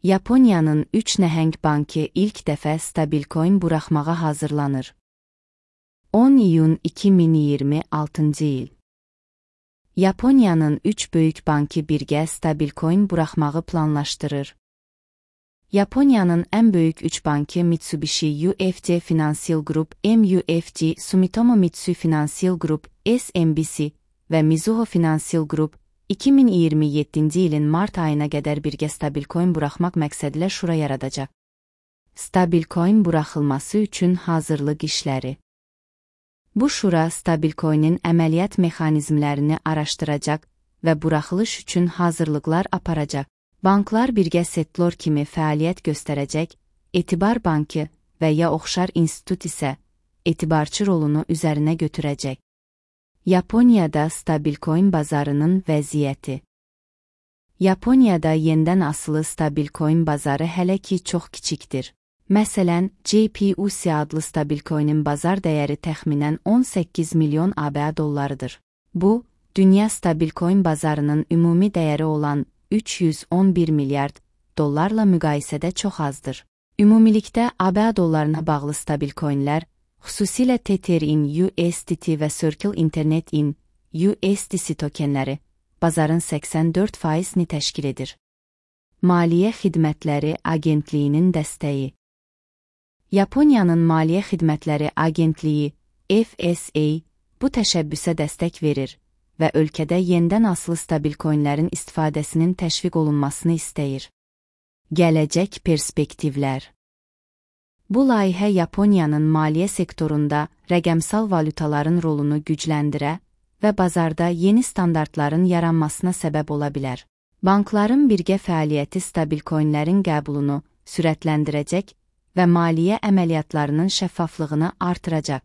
Yaponiyanın 3 nəhəng bankı ilk dəfə stabilcoin buraxmağa hazırlanır. 10 iyun 2026-cı il. Yaponiyanın 3 böyük bankı birgə stabilcoin buraxmağı planlaşdırır. Yaponiyanın ən böyük 3 bankı Mitsubishi UFJ Financial Group MUFG, Sumitomo Mitsui Financial Group SMBC və Mizuho Financial Group 2027-ci ilin mart ayına qədər birgə stabilcoin buraxmaq məqsədilə şura yaradacaq. Stabilcoin buraxılması üçün hazırlıq işləri. Bu şura stabilcoinin əməliyyat mexanizmlərini araşdıracaq və buraxılış üçün hazırlıqlar aparacaq. Banklar birgə settlor kimi fəaliyyət göstərəcək, Etibar Bankı və ya oxşar institut isə etibarçı rolunu üzərinə götürəcək. Yaponiyada stabilcoin bazarının vəziyyəti. Yaponiyada yenidən asılı stabilcoin bazarı hələ ki çox kiçikdir. Məsələn, JPUC adlı stabilcoinin bazar dəyəri təxminən 18 milyon ABA dollarıdır. Bu, dünya stabilcoin bazarının ümumi dəyəri olan 311 milyard dollarla müqayisədə çox azdır. Ümumilikdə ABA dollarına bağlı stabilcoinlər, xüsusilə Tether-in USDT və Circle Internet-in USDC tokenləri bazarın 84%-ni təşkil edir. Maliyyə Xidmətləri Agentliyinin dəstəyi. Yaponiyanın Maliyyə Xidmətləri Agentliyi FSA bu təşəbbüsə dəstək verir və ölkədə yenidən asılı stabilcoinlərin istifadəsinin təşviq olunmasını istəyir. Gələcək perspektivlər. Bu layihə Yaponiyanın maliyyə sektorunda rəqəmsal valutaların rolunu gücləndirə və bazarda yeni standartların yaranmasına səbəb ola bilər. Bankların birgə fəaliyyəti stabilcoinlərin qəbulunu sürətləndirəcək və maliyyə əməliyyatlarının şəffaflığını artıracaq.